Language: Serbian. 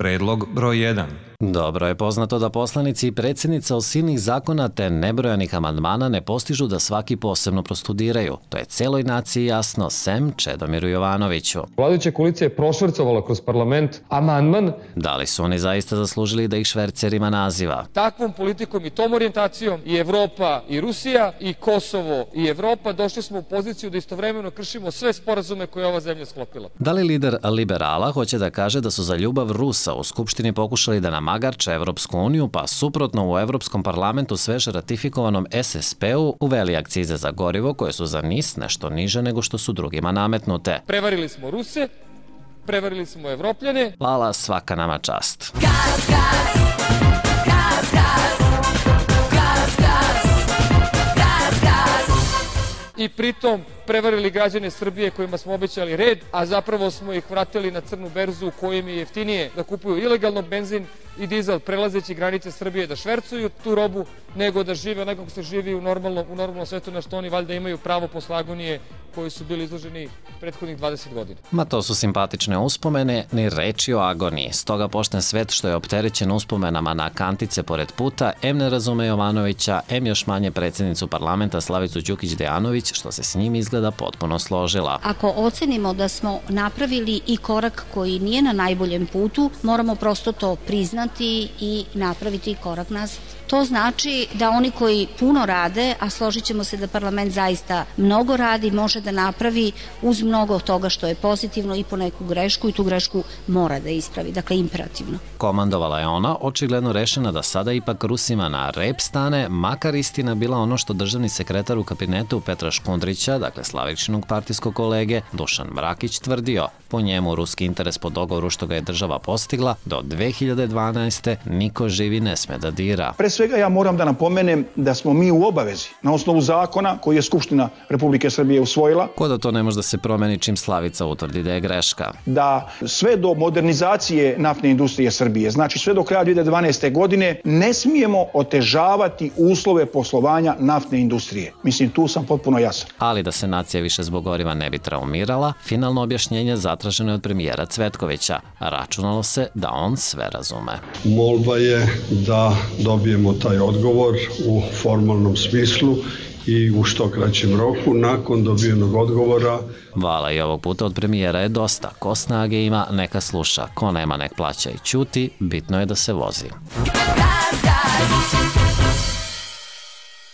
Predlog broj 1. Dobro je poznato da poslanici i predsjednica od silnih zakona te nebrojanih amandmana ne postižu da svaki posebno prostudiraju. To je celoj naciji jasno, sem Čedomiru Jovanoviću. Vladajuća koalicija je prošvrcovala kroz parlament amandman. Da li su oni zaista zaslužili da ih švercerima naziva? Takvom politikom i tom orijentacijom i Evropa i Rusija i Kosovo i Evropa došli smo u poziciju da istovremeno kršimo sve sporazume koje je ova zemlja sklopila. Da li lider liberala hoće da kaže da su za ljubav Rusa u Skupštini pokušali da namagarče Evropsku uniju, pa suprotno u Evropskom parlamentu sveže ratifikovanom SSP-u uveli akcize za gorivo koje su za NIS nešto niže nego što su drugima nametnute. Prevarili smo Ruse, prevarili smo Evropljane. Lala, svaka nama čast. Gas, gas, gas, gas, gas, gas, gas, gas. I pritom prevarili građane Srbije kojima smo obećali red, a zapravo smo ih vratili na crnu berzu u kojim je jeftinije da kupuju ilegalno benzin i dizel prelazeći granice Srbije, da švercuju tu robu, nego da žive onako kako se živi u normalnom svetu, na što oni valjda imaju pravo posle agonije koji su bili izloženi prethodnih 20 godina. Ma to su simpatične uspomene, ni reči o agoniji. Stoga pošten svet što je opterećen uspomenama na kantice pored puta, em ne razume Jovanovića, em još manje predsjednicu parlamenta Slavicu Đukić Dejanović, što se s njim izgleda potpuno složila. Ako ocenimo da smo napravili i korak koji nije na najboljem putu, moramo prosto to priznati i napraviti korak nazad. To znači da oni koji puno rade, a složit ćemo se da parlament zaista mnogo radi, može da napravi uz mnogo toga što je pozitivno i po neku grešku i tu grešku mora da ispravi, dakle imperativno. Komandovala je ona, očigledno rešena da sada ipak Rusima na rep stane, makar istina bila ono što državni sekretar u kabinetu Petra Škundrića, dakle Slavičinog partijskog kolege, Dušan Mrakić tvrdio. Po njemu ruski interes po dogovoru što ga je država postigla, do 2012. niko živi ne sme da dira. Pre svega ja moram da napomenem da smo mi u obavezi na osnovu zakona koji je Skupština Republike Srbije usvojila. Ko da to ne može da se promeni čim Slavica utvrdi da je greška. Da sve do modernizacije naftne industrije Srbije, znači sve do kraja 2012. godine, ne smijemo otežavati uslove poslovanja naftne industrije. Mislim, tu sam potpuno jasan. Ali da se nacija više zbog goriva ne bi traumirala, finalno objašnjenje zatraženo je od premijera Cvetkovića. Računalo se da on sve razume. Molba je da dobijemo taj odgovor u formalnom smislu i u što kraćem roku. Nakon dobijenog odgovora... Vala i ovog puta od premijera je dosta. Ko snage ima, neka sluša. Ko nema, nek plaća i ćuti. Bitno je da se vozi. Gas, gas.